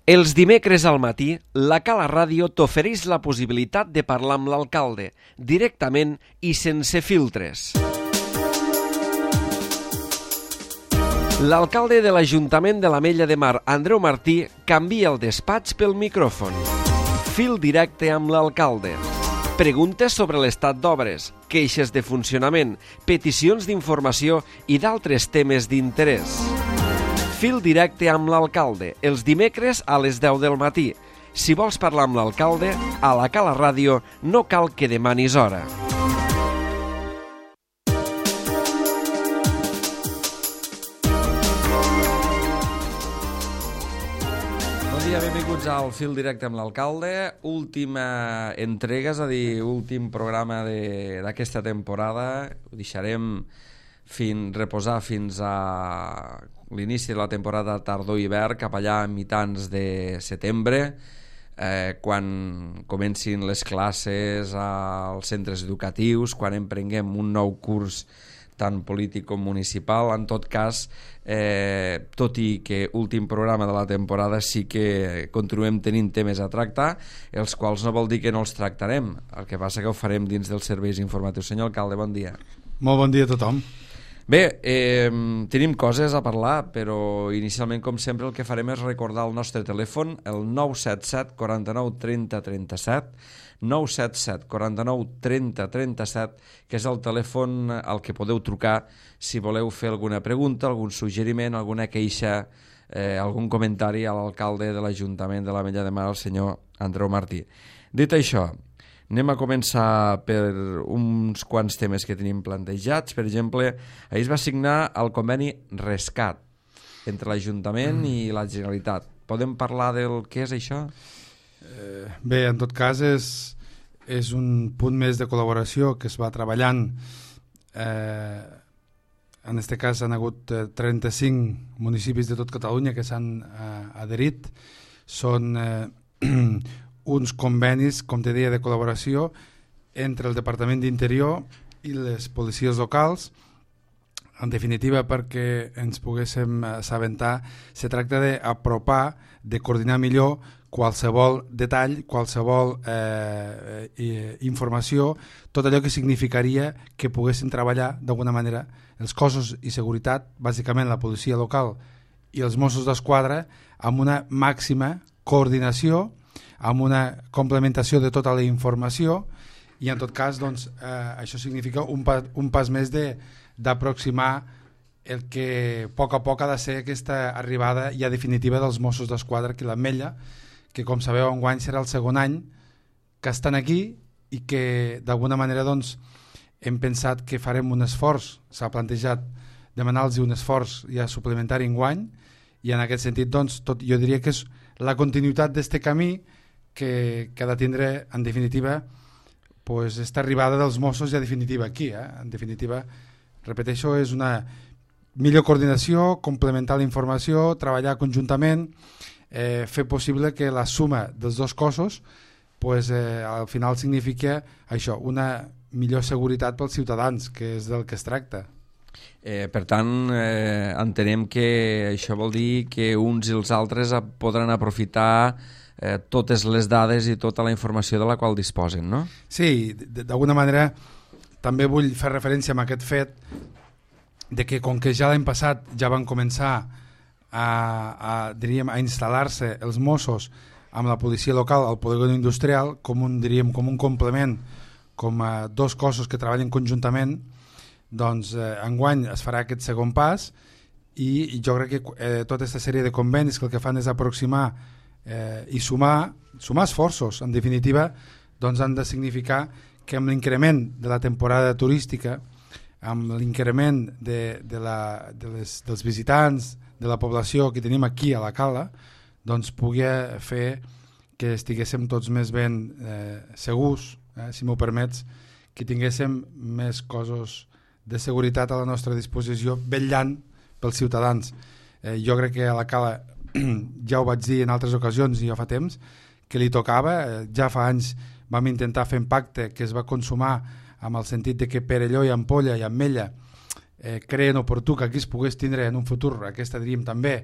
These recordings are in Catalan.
Els dimecres al matí, la Cala Ràdio t'ofereix la possibilitat de parlar amb l'alcalde, directament i sense filtres. L'alcalde de l'Ajuntament de l'Ametlla de Mar, Andreu Martí, canvia el despatx pel micròfon. Fil directe amb l'alcalde. Preguntes sobre l'estat d'obres, queixes de funcionament, peticions d'informació i d'altres temes d'interès. Fil directe amb l'alcalde, els dimecres a les 10 del matí. Si vols parlar amb l'alcalde, a la Cala Ràdio no cal que demanis hora. Bon dia, benvinguts al Fil directe amb l'alcalde. Última entrega, és a dir, últim programa d'aquesta temporada. Ho deixarem reposar fins a l'inici de la temporada tardor-hivern, cap allà a mitjans de setembre, quan comencin les classes als centres educatius, quan emprenguem un nou curs tant polític com municipal. En tot cas, tot i que últim programa de la temporada, sí que continuem tenint temes a tractar, els quals no vol dir que no els tractarem. El que passa que ho farem dins dels serveis informatius. Senyor alcalde, bon dia. Molt bon dia a tothom. Bé, tenim coses a parlar, però inicialment, com sempre, el que farem és recordar el nostre telèfon, el 977 49 30 37, 977 49 30 37, que és el telèfon al que podeu trucar si voleu fer alguna pregunta, algun suggeriment, alguna queixa, algun comentari a l'alcalde de l'Ajuntament de l'Ametlla de Mar, el senyor Andreu Martí. Dit això, anem a començar per uns quants temes que tenim plantejats. Per exemple, ahir es va signar el conveni Rescat entre l'Ajuntament i la Generalitat. Podem parlar del què és això? Bé, en tot cas és un punt més de col·laboració que es va treballant. En aquest cas han hagut 35 municipis de tot Catalunya que s'han adherit. Són uns convenis, com te deia, de col·laboració entre el Departament d'Interior i les policies locals. En definitiva, perquè ens poguéssim assabentar, se tracta d'apropar, de coordinar millor qualsevol detall, qualsevol informació, tot allò que significaria que poguessin treballar d'alguna manera els cossos i seguretat, bàsicament la policia local i els Mossos d'Esquadra, amb una màxima coordinació, amb una complementació de tota la informació, i en tot cas doncs, això significa un pas més d'aproximar el que a poc ha de ser aquesta arribada ja definitiva dels Mossos d'Esquadra aquí a l'Ametlla, que com sabeu enguany serà el segon any que estan aquí i que d'alguna manera doncs, hem pensat que farem un esforç, s'ha plantejat demanar-los un esforç ja suplementari enguany, i en aquest sentit doncs, jo diria que és la continuïtat d'este camí que ha de tindre, en definitiva, pues, esta arribada dels Mossos ja definitiva aquí. En definitiva, repeteixo, és una millor coordinació, complementar la informació, treballar conjuntament, fer possible que la suma dels dos cossos pues, al final significa això, una millor seguretat pels ciutadans, que és del que es tracta. Per tant, entenem que això vol dir que uns i els altres podran aprofitar totes les dades i tota la informació de la qual disposen, no? Sí, d'alguna manera també vull fer referència a aquest fet de que com que ja l'any passat ja van començar a instal·lar-se els Mossos amb la policia local al polígon industrial com un complement, com a dos cossos que treballen conjuntament, doncs enguany es farà aquest segon pas i jo crec que tota aquesta sèrie de convenis que el que fan és aproximar i sumar esforços, en definitiva, doncs han de significar que amb l'increment de la temporada turística, amb l'increment dels visitants, de la població que tenim aquí a la Cala, doncs pugui fer que estiguéssim tots més ben segurs, si m'ho permets, que tinguéssim més cossos de seguretat a la nostra disposició, vetllant pels ciutadans. Jo crec que a la Cala, ja ho vaig dir en altres ocasions i ja fa temps, que li tocava. Ja fa anys vam intentar fer un pacte que es va consumar amb el sentit de que Perelló i Ampolla i Ametlla creen oportú que aquí es pogués tindre en un futur aquesta, diríem també,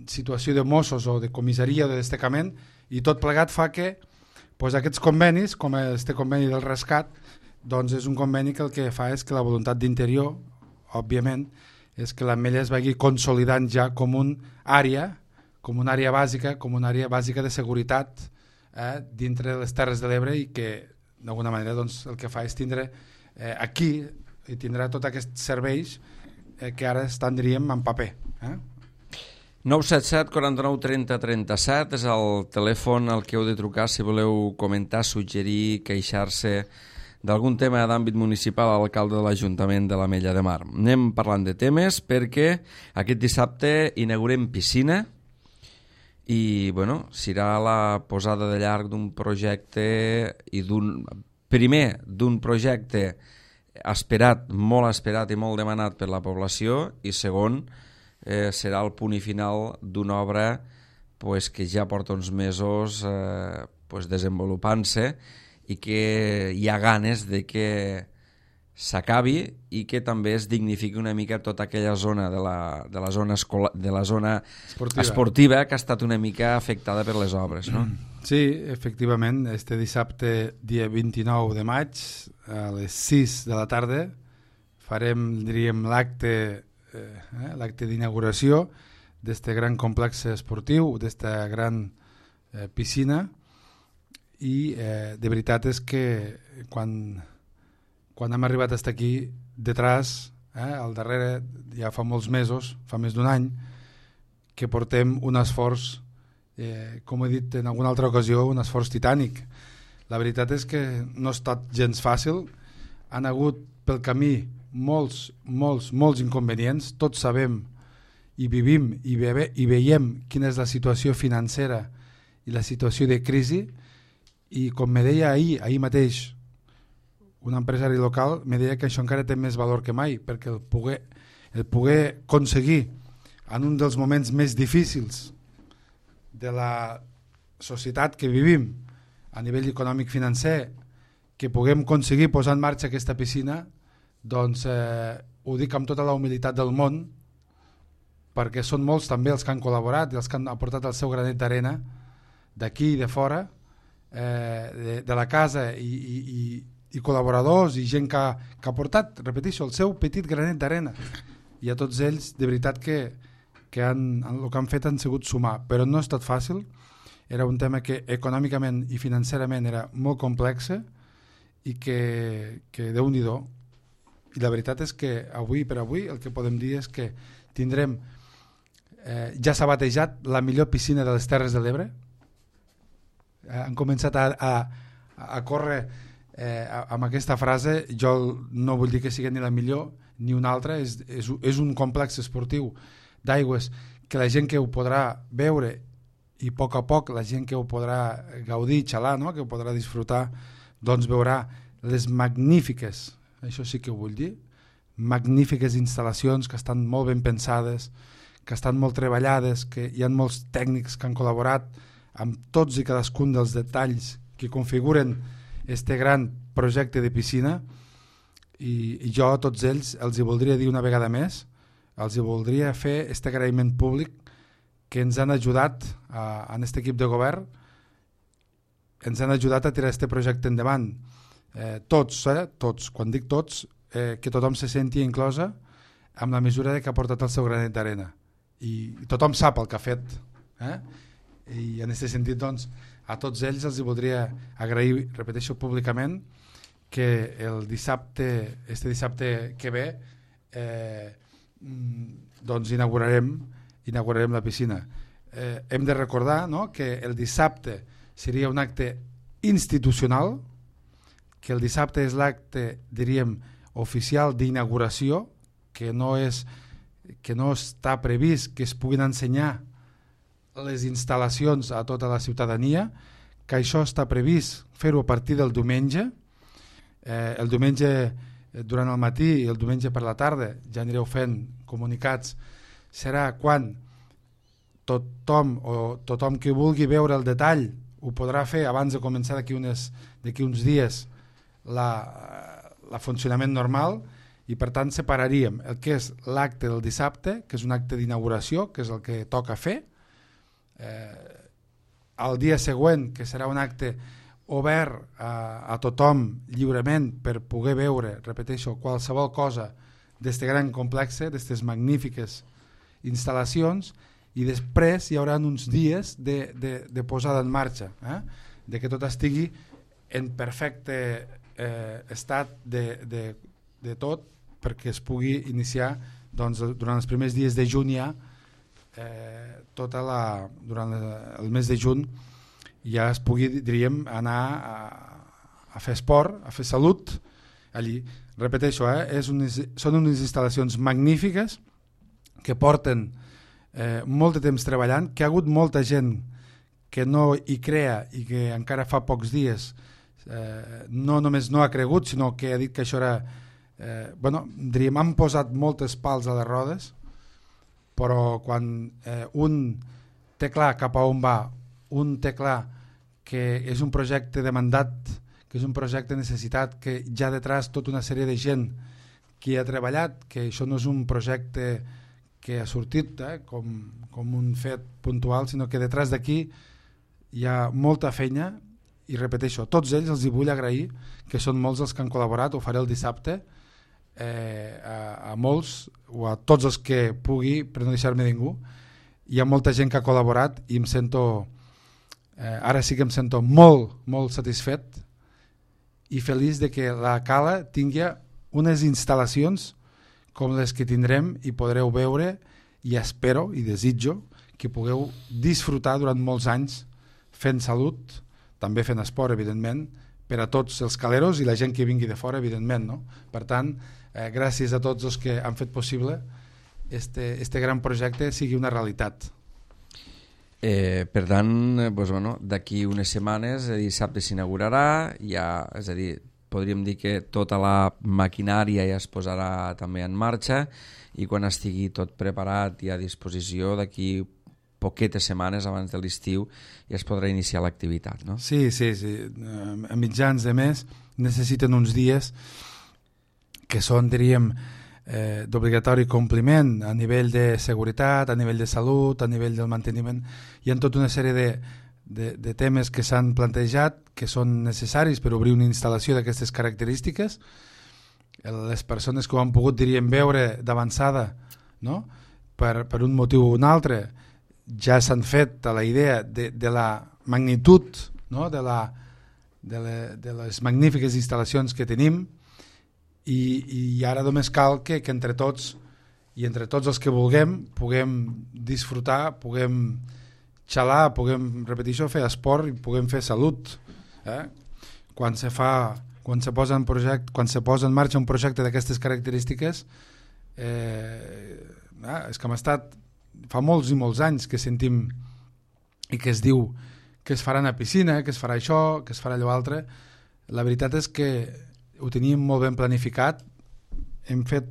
situació de Mossos o de comissaria o de destacament, i tot plegat fa que aquests convenis, com este conveni del rescat, doncs és un conveni que el que fa és que la voluntat d'Interior, òbviament, és que l'Ametlla es vagi consolidant ja com una àrea bàsica, com una àrea bàsica de seguretat dintre de les Terres de l'Ebre, i que d'alguna manera doncs, el que fa és tindre aquí, i tindrà tots aquests serveis que ara estan, diríem, en paper. 977 49 30 37 és el telèfon al que heu de trucar si voleu comentar, suggerir, queixar-se d'algun tema d'àmbit municipal a l'alcalde de l'Ajuntament de l'Ametlla de Mar. Anem parlant de temes perquè aquest dissabte inaugurem piscina i serà la posada de llarg d'un projecte i d'un projecte esperat, molt esperat i molt demanat per la població, i segon, serà el punt i final d'una obra que ja porta uns mesos desenvolupant-se i que hi ha ganes de que s'acabi i que també es dignifiqui una mica tota aquella zona de la zona esportiva que ha estat una mica afectada per les obres, no? Sí, efectivament, este dissabte, dia 29 de maig, a les 6 de la tarda, farem, diríem, l'acte d'inauguració d'este gran complex esportiu, d'esta gran piscina, i de veritat és que quan hem arribat fins aquí, detrás, al darrere, ja fa molts mesos, fa més d'un any, que portem un esforç, com he dit en alguna altra ocasió, un esforç titànic. La veritat és que no ha estat gens fàcil, han hagut pel camí molts inconvenients, tots sabem i vivim i veiem quina és la situació financera i la situació de crisi, i com me deia ahir mateix un empresari local, me deia que això encara té més valor que mai, perquè el poder aconseguir en un dels moments més difícils de la societat que vivim a nivell econòmic financer, que puguem aconseguir posar en marxa aquesta piscina, doncs ho dic amb tota la humilitat del món, perquè són molts també els que han col·laborat i els que han aportat el seu granet d'arena d'aquí i de fora, de la casa, i col·laboradors i gent que ha portat, repeteixo, el seu petit granet d'arena, i a tots ells de veritat que el que han fet han sigut sumar, però no ha estat fàcil. Era un tema que econòmicament i financerament era molt complex i que Déu-n'hi-do. I la veritat és que avui per avui el que podem dir és que tindrem, ja s'ha batejat la millor piscina de les Terres de l'Ebre. Han començat a córrer amb aquesta frase. Jo no vull dir que sigui ni la millor ni una altra, és un complex esportiu d'aigües que la gent que ho podrà veure, i a poc la gent que ho podrà gaudir, xalar, no? Que ho podrà disfrutar, doncs veurà les magnífiques, això sí que ho vull dir, magnífiques instal·lacions que estan molt ben pensades, que estan molt treballades, que hi ha molts tècnics que han col·laborat amb tots i cadascun dels detalls que configuren este gran projecte de piscina, i jo a tots ells els hi voldria dir una vegada més, els hi voldria fer este agraïment públic que ens han ajudat en aquest equip de govern, ens han ajudat a tirar este projecte endavant. Tots, quan dic tots, que tothom se senti inclosa amb la mesura que ha portat el seu granet d'arena. I tothom sap el que ha fet. I en aquest sentit, doncs, a tots ells els hi voldria agrair, repeteixo públicament, que este dissabte que ve doncs inaugurarem la piscina. Hem de recordar, no?, que el dissabte seria un acte institucional, que el dissabte és l'acte, diríem, oficial d'inauguració, que no està previst que es puguin ensenyar les instal·lacions a tota la ciutadania, que això està previst fer-ho a partir del diumenge. El diumenge durant el matí i el diumenge per la tarda ja anireu fent comunicats. Serà quan tothom que vulgui veure el detall ho podrà fer abans de començar d'aquí uns dies la funcionament normal, i per tant separaríem el que és l'acte del dissabte, que és un acte d'inauguració, que és el que toca fer, el dia següent, que serà un acte obert a tothom lliurement per poder veure, repeteixo, qualsevol cosa d'este gran complex, d'aquestes magnífiques instal·lacions, i després hi haurà uns dies de posada en marxa, de que tot estigui en perfecte estat de tot, perquè es pugui iniciar doncs, durant els primers dies de juny ja, durant el mes de juny ja es pugui, diríem, anar a fer esport, a fer salut allí. Repeteixo, són unes instal·lacions magnífiques que porten molt de temps treballant, que ha hagut molta gent que no hi crea i que encara fa pocs dies no només no ha cregut, sinó que ha dit que això era diríem, han posat moltes pals a les rodes, però quan un té clar cap a on va, un té clar que és un projecte demandat, que és un projecte necessitat, que ja detrás tota una sèrie de gent que hi ha treballat, que això no és un projecte que ha sortit com un fet puntual, sinó que detrás d'aquí hi ha molta feina, i repeteixo, tots ells els hi vull agrair, que són molts els que han col·laborat, ho faré el dissabte, a molts o a tots els que pugui, per no deixar-me ningú. Hi ha molta gent que ha col·laborat i em sento, ara sí que em sento molt, molt satisfet i feliç de que la Cala tingui unes instal·lacions com les que tindrem i podreu veure, i espero i desitjo que pugueu disfrutar durant molts anys fent salut, també fent esport, evidentment, per a tots els caleros i la gent que vingui de fora, evidentment, no? Per tant, gràcies a tots els que han fet possible este gran projecte sigui una realitat. Per tant, d'aquí unes setmanes, dissabte s'inaugurarà, és a dir, podríem dir que tota la maquinària ja es posarà també en marxa, i quan estigui tot preparat i a disposició, d'aquí poquetes setmanes abans de l'estiu ja es podrà iniciar l'activitat, no? Sí. A mitjans de mes necessiten uns dies que són, diríem, d'obligatori compliment a nivell de seguretat, a nivell de salut, a nivell del manteniment. Hi ha tota una sèrie de temes que s'han plantejat que són necessaris per obrir una instal·lació d'aquestes característiques. Les persones que ho han pogut, diríem, veure d'avançada, no? Per un motiu o un altre, ja s'han fet a la idea de la magnitud, no? de les magnífiques instal·lacions que tenim, i ara només cal que entre tots i entre tots els que vulguem puguem disfrutar, puguem xalar, puguem, repetir, fer esport i puguem fer salut. Quan se posa en marxa un projecte d'aquestes característiques, és que hem estat fa molts i molts anys que sentim i que es diu que es farà una piscina, que es farà això, que es farà allò altre. La veritat és que ho teníem molt ben planificat, hem fet,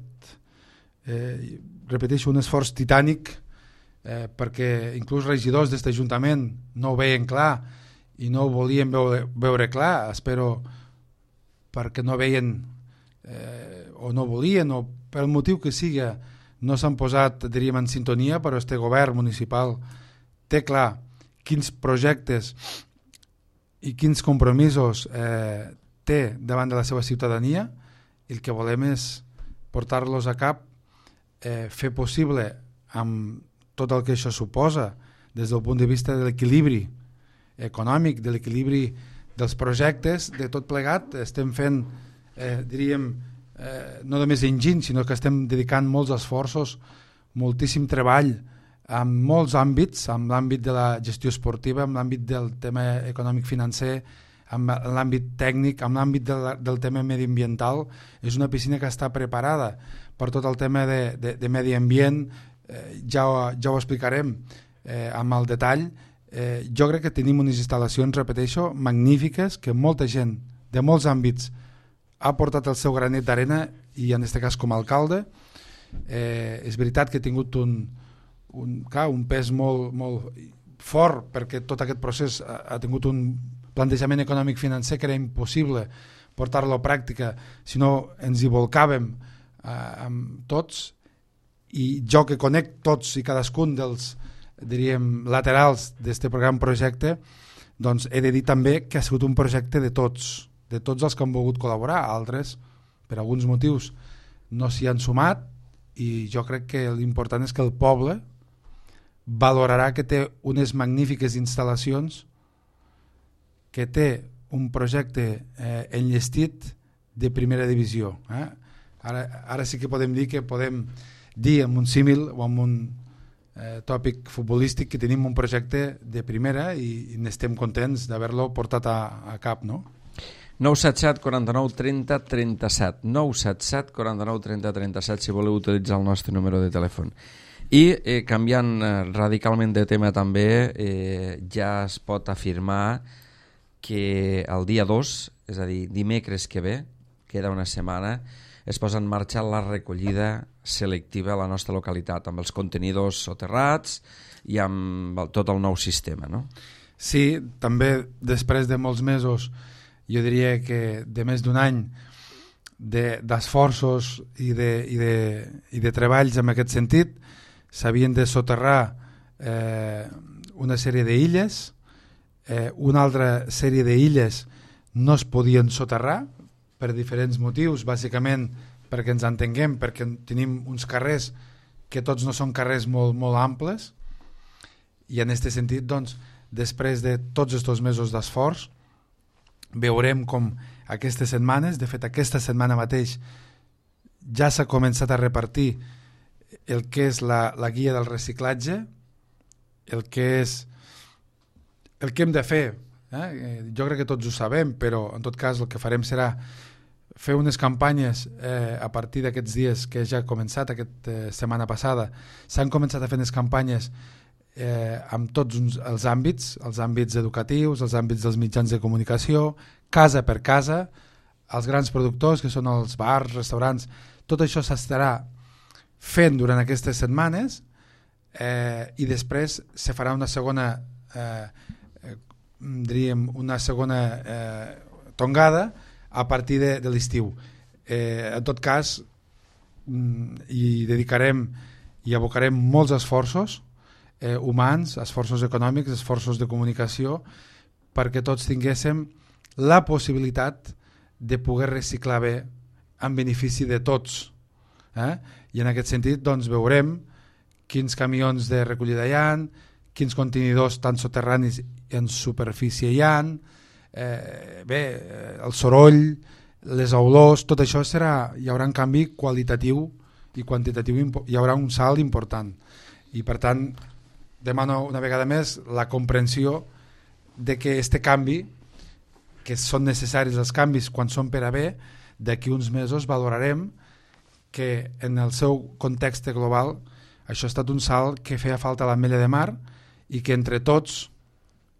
repeteixo, un esforç titànic perquè inclús regidors d'aquest ajuntament no ho veien clar i no ho volien veure clar, espero perquè no veien o no volien o pel motiu que siga no s'han posat, diríem, en sintonia, però este govern municipal té clar quins projectes i quins compromisos té davant de la seva ciutadania, i el que volem és portar-los a cap, fer possible amb tot el que això suposa des del punt de vista de l'equilibri econòmic, de l'equilibri dels projectes, de tot plegat. Estem fent, diríem, no només enginy, sinó que estem dedicant molts esforços, moltíssim treball en molts àmbits, en l'àmbit de la gestió esportiva, en l'àmbit del tema econòmic-financer, en l'àmbit tècnic, en l'àmbit del tema mediambiental. És una piscina que està preparada per tot el tema de medi ambient, ja ho explicarem amb el detall. Jo crec que tenim unes instal·lacions, repeteixo, magnífiques, que molta gent de molts àmbits ha portat el seu granet d'arena, i en aquest cas com a alcalde. És veritat que ha tingut un pes molt fort, perquè tot aquest procés ha tingut un plantejament econòmic financer que era impossible portar-lo a pràctica si no ens hi volcàvem amb tots, i jo que conec tots i cadascun dels diríem, laterals d'aquest gran projecte, doncs he de dir també que ha sigut un projecte de tots els que han volgut col·laborar. Altres, per alguns motius, no s'hi han sumat, i jo crec que l'important és que el poble valorarà que té unes magnífiques instal·lacions, que té un projecte enllestit de primera divisió. Ara sí que podem dir amb un símil o amb un tòpic futbolístic que tenim un projecte de primera i n'estem contents d'haver-lo portat a cap, no? 977 49 30 37 977 49 30 37 si voleu utilitzar el nostre número de telèfon. I canviant radicalment de tema també, ja es pot afirmar que el dia 2, és a dir, dimecres que ve, queda una setmana, es posa en marxa la recollida selectiva a la nostra localitat, amb els contenidors soterrats i amb tot el nou sistema, no? Sí, també després de molts mesos, jo diria que de més d'un any d'esforços i de treballs en aquest sentit, s'havien de soterrar una sèrie d'illes, una altra sèrie d'illes no es podien soterrar per diferents motius, bàsicament perquè ens entenguem, perquè tenim uns carrers que tots no són carrers molt, molt amples, i en aquest sentit, doncs, després de tots aquests mesos d'esforç, veurem com aquestes setmanes, de fet aquesta setmana mateix ja s'ha començat a repartir el que és la guia del reciclatge, el que hem de fer. Jo crec que tots ho sabem, però en tot cas el que farem serà fer unes campanyes a partir d'aquests dies que ja ha començat, aquesta setmana passada. S'han començat a fer unes campanyes amb tots els àmbits educatius, els àmbits dels mitjans de comunicació, casa per casa, els grans productors, que són els bars, restaurants. Tot això s'estarà fent durant aquestes setmanes i després se farà una segona tongada a partir de l'estiu. En tot cas, hi dedicarem i abocarem molts esforços humans, esforços econòmics, esforços de comunicació, perquè tots tinguéssim la possibilitat de poder reciclar bé en benefici de tots. I en aquest sentit doncs, veurem quins camions de recollida hi ha, quins contenidors tant soterranis en superfície hi ha, el soroll, les olors, tot això hi haurà un canvi qualitatiu i quantitatiu, hi haurà un salt important. I per tant, demano una vegada més la comprensió de que este canvi, que són necessaris els canvis quan són per a bé, d'aquí uns mesos valorarem que en el seu context global això ha estat un salt que feia falta a l'Ametlla de Mar i que entre tots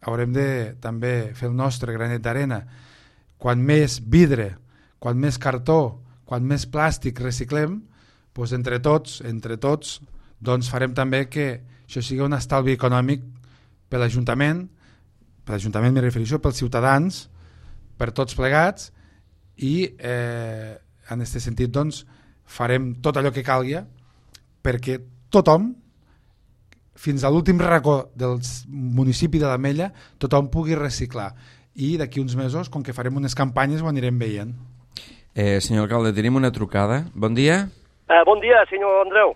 haurem de també fer el nostre granet d'arena. Quan més vidre, quan més cartó, quan més plàstic reciclem, doncs entre tots doncs farem també que això sigui un estalvi econòmic per l'Ajuntament m'hi refereixo, pels ciutadans, per tots plegats, i en aquest sentit doncs farem tot allò que calgui perquè tothom, fins a l'últim racó del municipi de l'Ametlla, tothom pugui reciclar. I d'aquí uns mesos, com que farem unes campanyes, ho anirem veient. Senyor alcalde, tenim una trucada. Bon dia. Bon dia, senyor Andreu.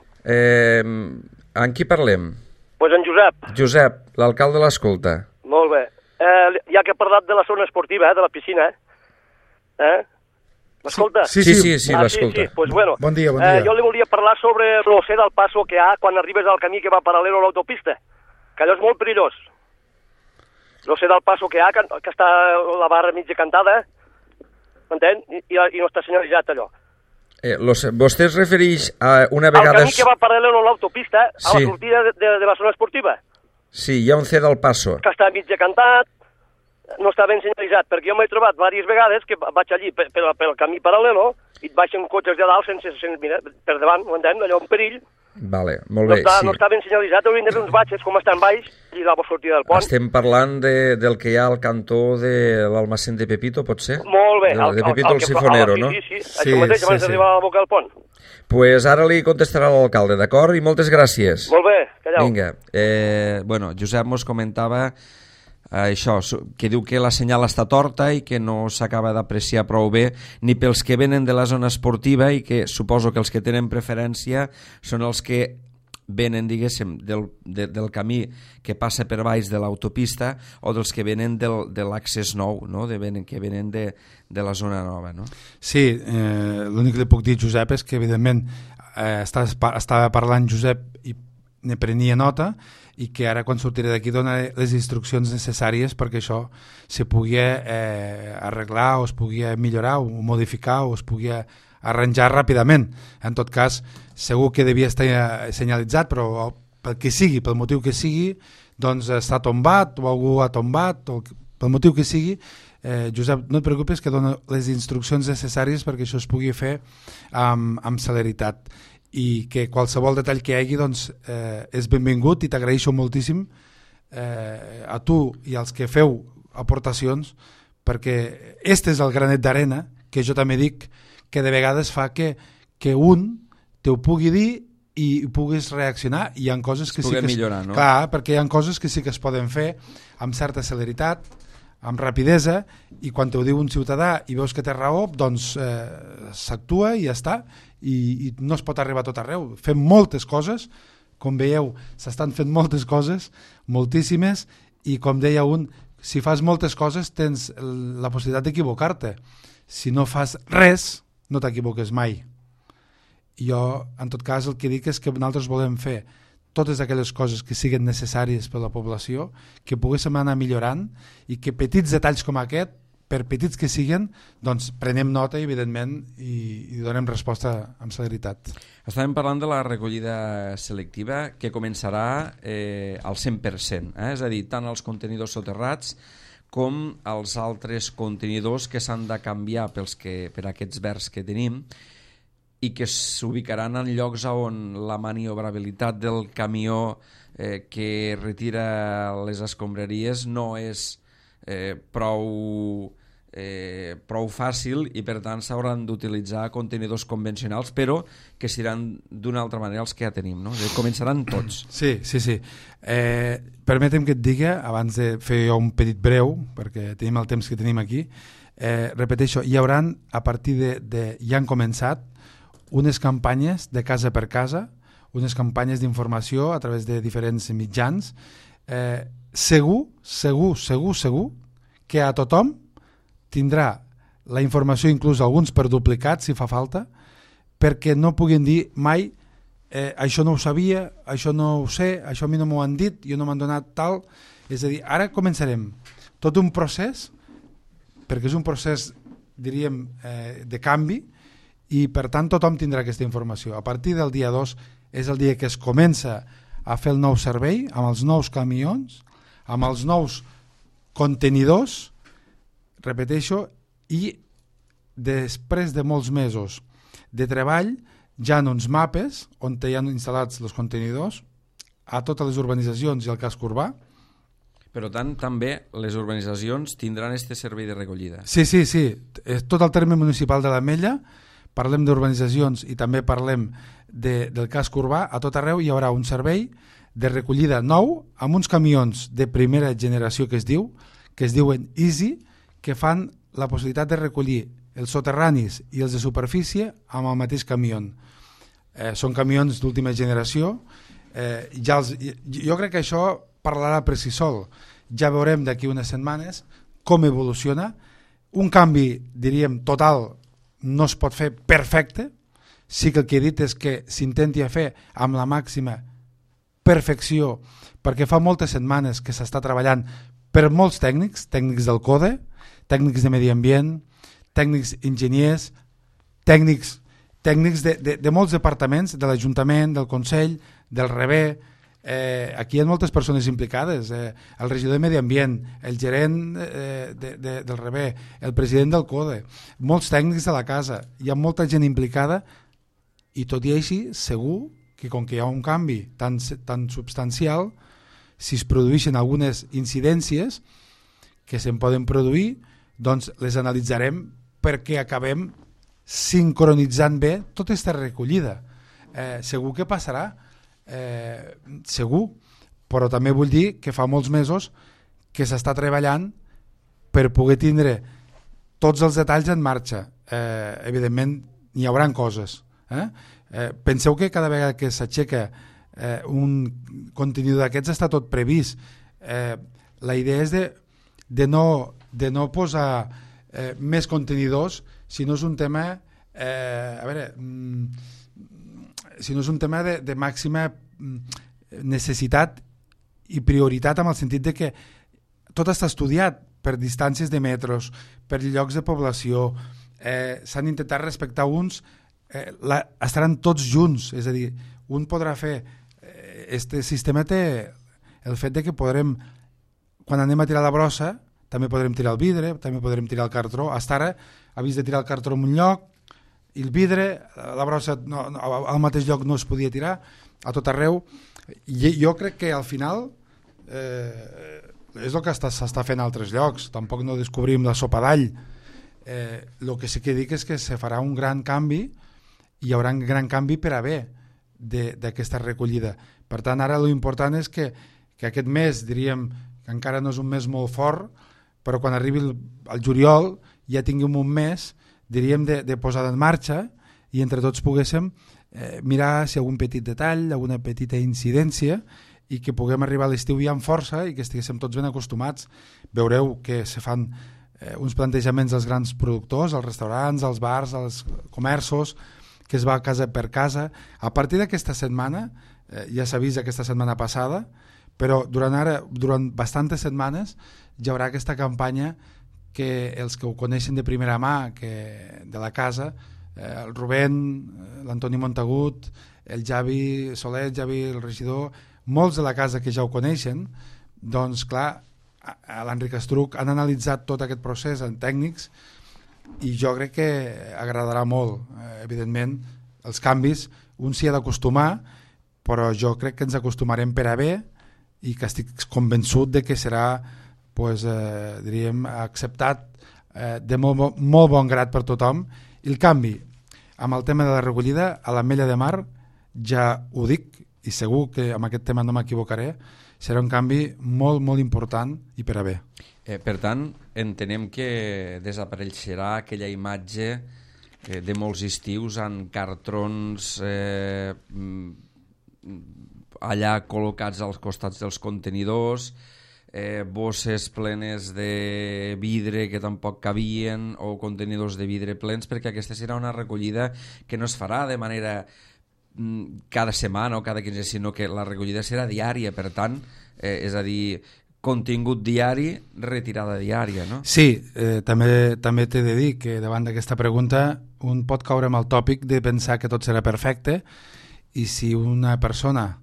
Amb qui parlem? Pues en Josep. Josep, l'alcalde l'escolta. Molt bé. Ja que ha parlat de la zona esportiva, de la piscina, m'escolta? Sí, l'escolta. Sí. Pues bueno, bon dia. Jo li volia parlar sobre l'océ del passo que hi ha quan arribes al camí que va paral·lel a l'autopista, que allò és molt perillós. L'océ del passo que hi ha, que està la barra mitja cantada, m'entén? I no està senyalitzat allò. Vostè es refereix a una vegada... Al camí que va paral·lel a l'autopista, a la sortida de la zona esportiva. Sí, hi ha un C del passo. Que està mitja cantat, no està ben senyalitzat, perquè jo m'he trobat diverses vegades que vaig allí pel camí paral·lel i et baixen cotxes de dalt sense mirar per davant, m'entén? Allò un perill. Vale, molt bé. No està ben senyalitzat, haurien de fer uns batxes com estan baix i la sortida del pont. Estem parlant del que hi ha al cantó de l'almacén de Pepito, pot ser? Molt bé. De Pepito el Sifonero, no? Sí. Això mateix, abans d'arribar a la boca del pont. Pues ara li contestarà l'alcalde, d'acord? I moltes gràcies. Molt bé, callau. Vinga. Bueno, Josep mos comentava això, que diu que la senyal està torta i que no s'acaba d'apreciar prou bé ni pels que venen de la zona esportiva i que suposo que els que tenen preferència són els que venen, diguéssim, del camí que passa per baix de l'autopista o dels que venen de l'accés nou, no? Que venen de la zona nova, no? Sí, l'únic que li puc dir, Josep, és que evidentment estava parlant Josep i ne prenia nota i que ara quan sortiré d'aquí donaré les instruccions necessàries perquè això se pugui arreglar o es pugui millorar o modificar o es pugui arranjar ràpidament. En tot cas, segur que devia estar senyalitzat, però pel que sigui, pel motiu que sigui, doncs està tombat o algú ha tombat, o pel motiu que sigui, Josep, no et preocupes que dono les instruccions necessàries perquè això es pugui fer amb celeritat i que qualsevol detall que hi hagi doncs, és benvingut i t'agraeixo moltíssim a tu i als que feu aportacions perquè este és el granet d'arena que jo també dic que de vegades fa que un te ho pugui dir i puguis reaccionar i hi ha coses que sí que millorar, no? Clar, perquè hi ha coses que sí que es poden fer amb certa celeritat, amb rapidesa, i quan t'ho diu un ciutadà i veus que té raó, doncs s'actua i ja està, i no es pot arribar a tot arreu. Fem moltes coses, com veieu, s'estan fent moltes coses, moltíssimes, i com deia un, si fas moltes coses tens la possibilitat d'equivocar-te. Si no fas res, no t'equivoques mai. I jo, en tot cas, el que dic és que nosaltres volem fer totes aquelles coses que siguin necessàries per a la població, que poguéssim anar millorant i que petits detalls com aquest, per petits que siguin, doncs prenem nota, evidentment, i donem resposta amb celeritat. Estàvem parlant de la recollida selectiva que començarà al 100%, és a dir, tant els contenidors soterrats com els altres contenidors que s'han de canviar per aquests verds que tenim i que s'ubicaran en llocs on la maniobrabilitat del camió que retira les escombraries no és prou fàcil i per tant s'hauran d'utilitzar contenidors convencionals però que seran d'una altra manera els que ja tenim, no? Començaran tots. Sí. Permetem que et digui, abans de fer un petit breu, perquè tenim el temps que tenim aquí, repeteixo, hi hauran a partir ja han començat unes campanyes de casa per casa, unes campanyes d'informació a través de diferents mitjans, segur que a tothom tindrà la informació, inclús alguns per duplicat si fa falta, perquè no puguin dir mai això no ho sabia, això no ho sé, això a mi no m'ho han dit, jo no m'han donat tal. És a dir, ara començarem tot un procés, perquè és un procés, diríem, de canvi, i per tant tothom tindrà aquesta informació. A partir del dia 2 és el dia que es comença a fer el nou servei amb els nous camions, amb els nous contenidors, repeteixo, i després de molts mesos de treball ja en uns mapes on hi ha instal·lats els contenidors a totes les urbanitzacions i al casc urbà. Per tant, també les urbanitzacions tindran este servei de recollida. Sí. Tot el terme municipal de l'Ametlla, parlem d'urbanitzacions i també parlem del casc urbà, a tot arreu hi haurà un servei de recollida nou amb uns camions de primera generació que es diuen Easy, que fan la possibilitat de recollir els soterranis i els de superfície amb el mateix camió. Són camions d'última generació. Jo crec que això parlarà per si sol. Ja veurem d'aquí unes setmanes com evoluciona. Un canvi, diríem, total no es pot fer perfecte. Sí que el que he dit és que s'intenti fer amb la màxima perfecció, perquè fa moltes setmanes que s'està treballant per molts tècnics del CODE, tècnics de medi ambient, tècnics enginyers, tècnics de molts departaments, de l'Ajuntament, del Consell, del REBE. Aquí hi ha moltes persones implicades, el regidor de Medi Ambient, el gerent del REBE, el president del CODE, molts tècnics de la casa, hi ha molta gent implicada i tot i així segur que com que hi ha un canvi tan substancial, si es produeixen algunes incidències que se'n poden produir, doncs les analitzarem perquè acabem sincronitzant bé tota aquesta recollida. Segur que passarà, segur, però també vull dir que fa molts mesos que s'està treballant per poder tindre tots els detalls en marxa. Evidentment hi haurà coses. Penseu que cada vegada que s'aixeca un contingut d'aquests està tot previst. La idea és de no posar més contenidors si no és un tema si no és un tema de màxima necessitat i prioritat, en el sentit de que tot està estudiat per distàncies de metros, per llocs de població, s'han intentat respectar uns, estaran tots junts, és a dir, un podrà fer, este sistema té el fet de que podrem, quan anem a tirar la brossa, també podrem tirar el vidre, també podrem tirar el cartró. Hasta ara havies de tirar el cartró en un lloc, i el vidre, la brossa al mateix lloc no es podia tirar, a tot arreu. I jo crec que al final és el que s'està fent a altres llocs, tampoc no descobrim la sopa d'all. El que sí que dic és que se farà un gran canvi, i hi haurà un gran canvi per a bé d'aquesta recollida. Per tant, ara l'important és que aquest mes, diríem que encara no és un mes molt fort, però quan arribi el juliol ja tinguem un mes, diríem, de posada en marxa, i entre tots poguéssim mirar si hi ha algun petit detall, alguna petita incidència, i que puguem arribar a l'estiu ja amb força i que estiguéssim tots ben acostumats. Veureu que se fan uns plantejaments als grans productors, als restaurants, als bars, als comerços, que es va casa per casa. A partir d'aquesta setmana, ja s'ha vist aquesta setmana passada, però durant bastantes setmanes hi haurà aquesta campanya que els que ho coneixen de primera mà, de la casa, el Rubén, l'Antoni Montagut, el Javi Soler, el regidor, molts de la casa que ja ho coneixen, doncs clar, a l'Enric Estruc han analitzat tot aquest procés en tècnics, i jo crec que agradarà molt. Evidentment, els canvis un s'hi ha d'acostumar, però jo crec que ens acostumarem per a bé, i que estic convençut de que serà, diríem, acceptat de molt bon grat per tothom. I el canvi amb el tema de la recollida a l'Ametlla de Mar, ja ho dic, i segur que amb aquest tema no m'equivocaré, serà un canvi molt, molt important i per a bé. Per tant, entenem que desapareixerà aquella imatge de molts estius en cartrons allà col·locats als costats dels contenidors, bosses plenes de vidre que tampoc cabien, o contenidors de vidre plens, perquè aquesta serà una recollida que no es farà de manera cada setmana o cada 15, sinó que la recollida serà diària, per tant, és a dir, contingut diari, retirada diària, no? Sí, també t'he de dir que davant d'aquesta pregunta un pot caure amb el tòpic de pensar que tot serà perfecte, i si una persona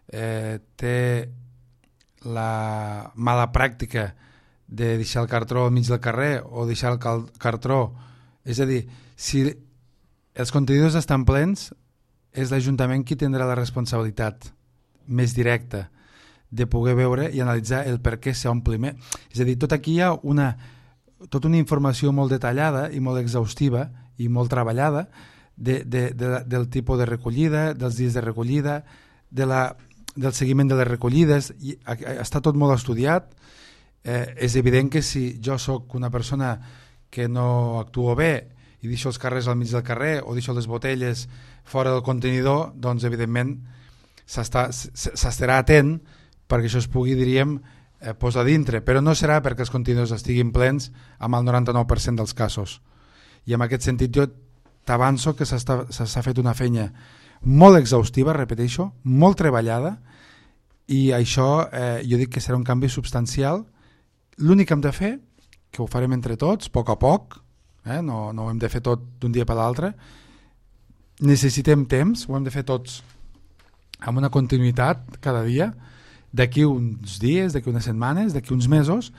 té la mala pràctica de deixar el cartró al mig del carrer o deixar el cartró, és a dir, si els contenidors estan plens, és l'Ajuntament qui tindrà la responsabilitat més directa de poder veure i analitzar el per què s'ompli més. És a dir, tot aquí hi ha tota una informació molt detallada i molt exhaustiva i molt treballada del tipus de recollida, dels dies de recollida, del seguiment de les recollides, i està tot molt estudiat. És evident que si jo sóc una persona que no actuo bé i deixo els carrers al mig del carrer o deixo les botelles fora del contenidor, doncs evidentment s'estarà atent perquè això es pugui, diríem, posar dintre, però no serà perquè els contenidors estiguin plens amb el 99% dels casos. I en aquest sentit jo t'avanço que s'ha fet una feina molt exhaustiva, repeteixo, molt treballada, i això jo dic que serà un canvi substancial. L'únic que hem de fer, que ho farem entre tots, a poc, no ho hem de fer tot d'un dia per l'altre, necessitem temps, ho hem de fer tots amb una continuïtat cada dia. D'aquí uns dies, d'aquí unes setmanes, d'aquí uns mesos,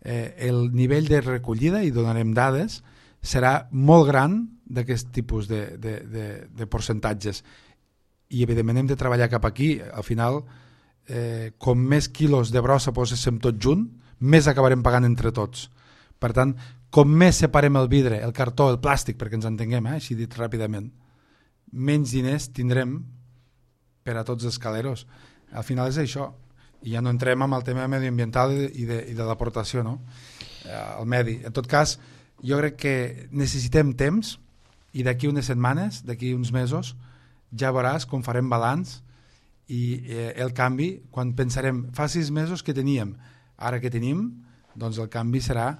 el nivell de recollida, i donarem dades, serà molt gran d'aquest tipus de percentatges. I evidentment hem de treballar cap aquí. Al final, com més quilos de brossa poséssim tot junt, més acabarem pagant entre tots. Per tant, com més separem el vidre, el cartó, el plàstic, perquè ens entenguem, així dit ràpidament, menys diners tindrem per a tots els caleros. Al final és això, i ja no entrem amb el tema medioambiental i de l'aportació, no? Al medi. En tot cas, jo crec que necessitem temps, i d'aquí unes setmanes, d'aquí uns mesos, ja veuràs com farem balanç i el canvi, quan pensarem fa 6 mesos que teníem, ara que tenim, doncs el canvi serà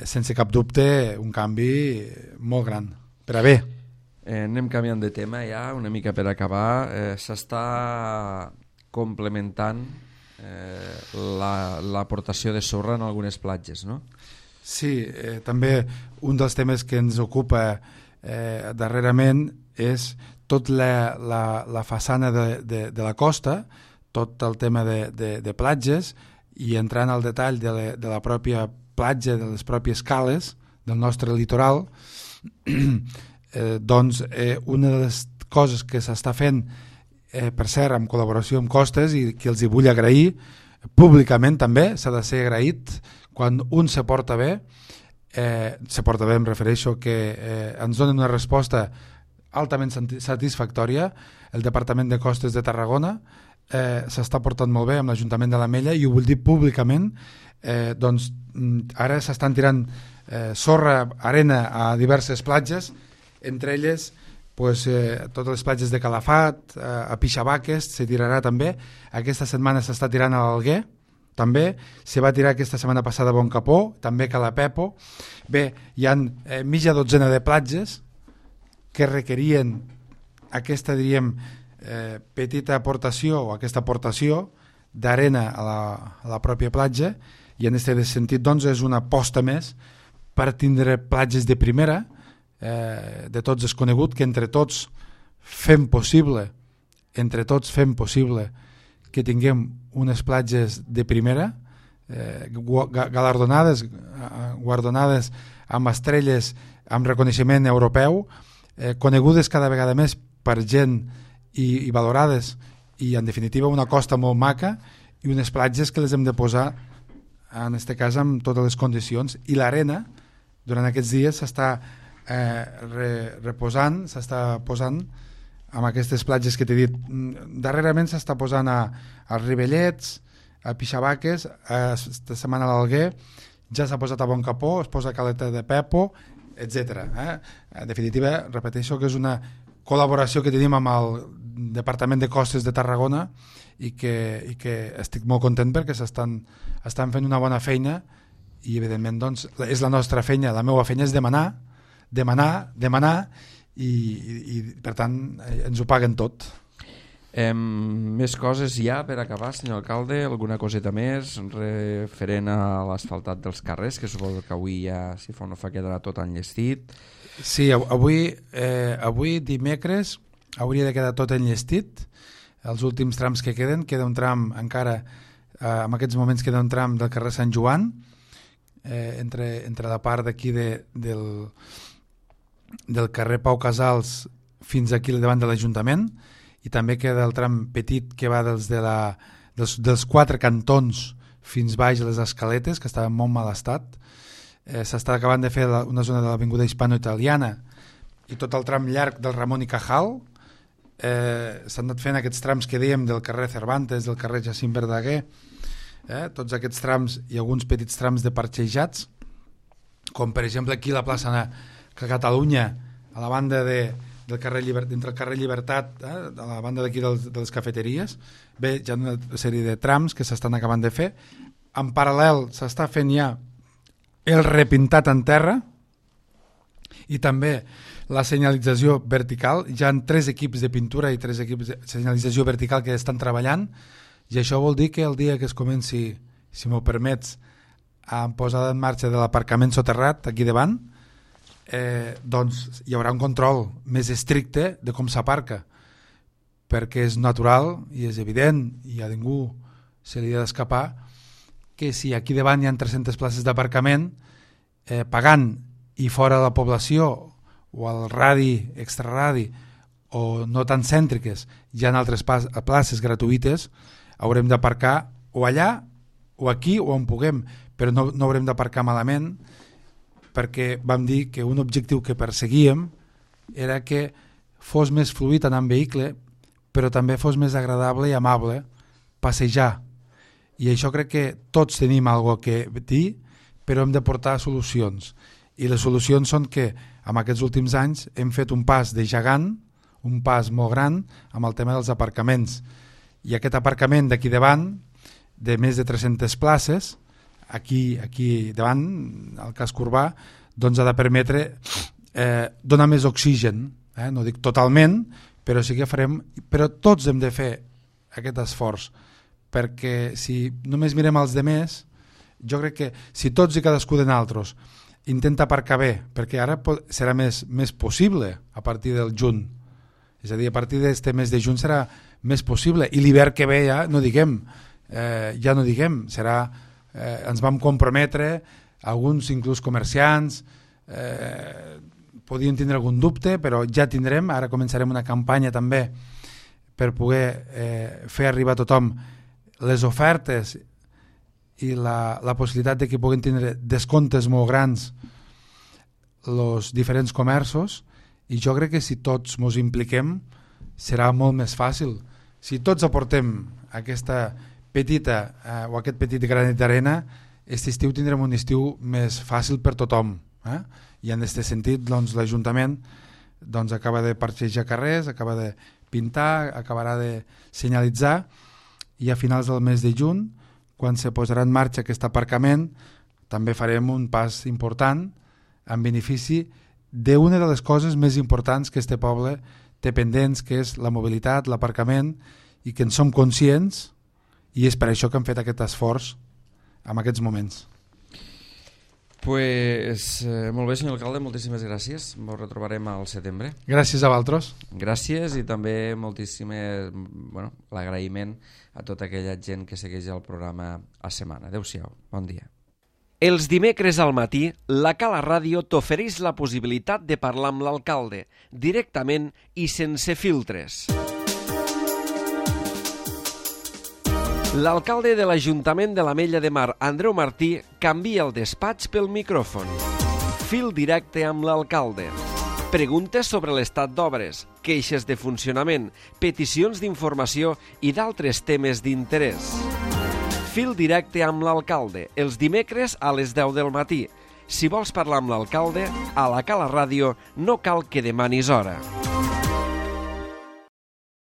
sense cap dubte un canvi molt gran, per a bé. Anem canviant de tema ja, una mica per acabar. S'està complementant l'aportació de sorra en algunes platges, no? Sí, també un dels temes que ens ocupa darrerament és tot la façana de la costa, tot el tema de platges, i entrant al detall de la pròpia platja, de les pròpies cales del nostre litoral, doncs una de les coses que s'està fent, per cert, en col·laboració amb Costes, i que els hi vull agrair públicament també, s'ha de ser agraït quan un se porta bé, em refereixo que ens donen una resposta altament satisfactòria. El Departament de Costes de Tarragona s'està portant molt bé amb l'Ajuntament de l'Ametlla, i ho vull dir públicament. Doncs ara s'estan tirant sorra, arena a diverses platges, entre elles totes les platges de Calafat, a Pixabaques se tirarà també. Aquesta setmana s'està tirant a l'Alguer, també se va tirar aquesta setmana passada a Boncapó, també a Calapepo. Bé, hi ha mitja dotzena de platges que requerien aquesta, diríem, petita aportació, o aquesta aportació d'arena a la pròpia platja, i en aquest sentit doncs és una aposta més per tindre platges de primera. De tots és conegut que entre tots fem possible que tinguem unes platges de primera, guardonades amb estrelles, amb reconeixement europeu, conegudes cada vegada més per gent i valorades, i en definitiva una costa molt maca, i unes platges que les hem de posar en aquest cas amb totes les condicions. I l'arena durant aquests dies s'està reposant, s'està posant amb aquestes platges que t'he dit. Darrerament s'està posant als Ribellets, a Pixabaques, esta setmana a l'Alguer, ja s'ha posat a Boncapó, es posa a Caleta de Pepo, etc. En definitiva, repeteixo que és una col·laboració que tenim amb el Departament de Costes de Tarragona, i que estic molt content perquè estan fent una bona feina, i evidentment doncs, és la nostra feina, la meva feina és demanar, i per tant ens ho paguen tot. Més coses ja per acabar, senyor alcalde? Alguna coseta més referent a l'asfaltat dels carrers, que suposo que avui ja, si fa o no fa, quedarà tot enllestit? Sí, avui dimecres hauria de quedar tot enllestit. Els últims trams que queda un tram encara, en aquests moments queda un tram del carrer Sant Joan, entre la part d'aquí del carrer Pau Casals fins aquí davant de l'Ajuntament, i també queda el tram petit que va dels 4 cantons fins baix a les escaletes, que estava en molt mal estat. S'està acabant de fer una zona de l'avinguda hispano-italiana i tot el tram llarg del Ramon i Cajal. S'han anat fent aquests trams que dèiem del carrer Cervantes, del carrer Jacint Verdaguer, tots aquests trams i alguns petits trams de parxejats, com per exemple aquí la plaça Catalunya, a la banda del carrer entre el carrer Llibertat, a la banda d'aquí de les cafeteries. Bé, hi ha una sèrie de trams que s'estan acabant de fer. En paral·lel s'està fent ja el repintat en terra i també la senyalització vertical. Hi ha 3 equips de pintura i 3 equips de senyalització vertical que estan treballant, i això vol dir que el dia que es comenci, si m'ho permets, a posada en marxa de l'aparcament soterrat aquí davant, doncs hi haurà un control més estricte de com s'aparca, perquè és natural i és evident, i a ningú se li ha d'escapar, que si aquí davant hi ha 300 places d'aparcament, pagant i fora de la població o al radi, extraradi, o no tan cèntriques, hi ha altres places gratuïtes, haurem d'aparcar o allà o aquí o on puguem, però no haurem d'aparcar malament, perquè vam dir que un objectiu que perseguíem era que fos més fluid anar en vehicle, però també fos més agradable i amable passejar. I això crec que tots tenim alguna cosa que dir, però hem de portar solucions. I les solucions són que en aquests últims anys hem fet un pas de gegant, un pas molt gran amb el tema dels aparcaments. I aquest aparcament d'aquí davant, de més de 300 places, aquí davant, al casc urbà, doncs ha de permetre donar més oxigen. No dic totalment, però sí que farem... Però tots hem de fer aquest esforç, perquè si només mirem els demés, jo crec que si tots i cadascú de nosaltres intenta aparcar bé, perquè ara serà més possible a partir del juny, és a dir, a partir d'este mes de juny serà més possible, i l'hivern que ve ja no diguem, serà, ens vam comprometre, alguns inclús comerciants podien tindre algun dubte, però ja tindrem, ara començarem una campanya també per poder fer arribar a tothom les ofertes i la possibilitat de que puguin tindre descomptes molt grans els diferents comerços, i jo crec que si tots ens impliquem serà molt més fàcil. Si tots aportem aquesta petita o aquest petit granet d'arena, aquest estiu tindrem un estiu més fàcil per tothom. I en aquest sentit doncs, l'Ajuntament acaba de parxejar carrers, acaba de pintar, acabarà de senyalitzar, i a finals del mes de juny, quan se posarà en marxa aquest aparcament, també farem un pas important en benefici d'una de les coses més importants que este poble té pendents, que és la mobilitat, l'aparcament, i que en som conscients, i és per això que hem fet aquest esforç en aquests moments. Pues, molt bé, senyor alcalde, moltíssimes gràcies. Ens retrobarem al setembre. Gràcies a vosaltres. Gràcies, i també l'agraïment a tota aquella gent que segueix el programa a setmana. Adéu-siau, bon dia. Els dimecres al matí, la Cala Ràdio t'ofereix la possibilitat de parlar amb l'alcalde, directament i sense filtres. L'alcalde de l'Ajuntament de l'Ametlla de Mar, Andreu Martí, canvia el despatx pel micròfon. Fil directe amb l'alcalde. Preguntes sobre l'estat d'obres, queixes de funcionament, peticions d'informació i d'altres temes d'interès. Fil directe amb l'alcalde, els dimecres a les 10 del matí. Si vols parlar amb l'alcalde, a la Cala Ràdio no cal que demanis hora.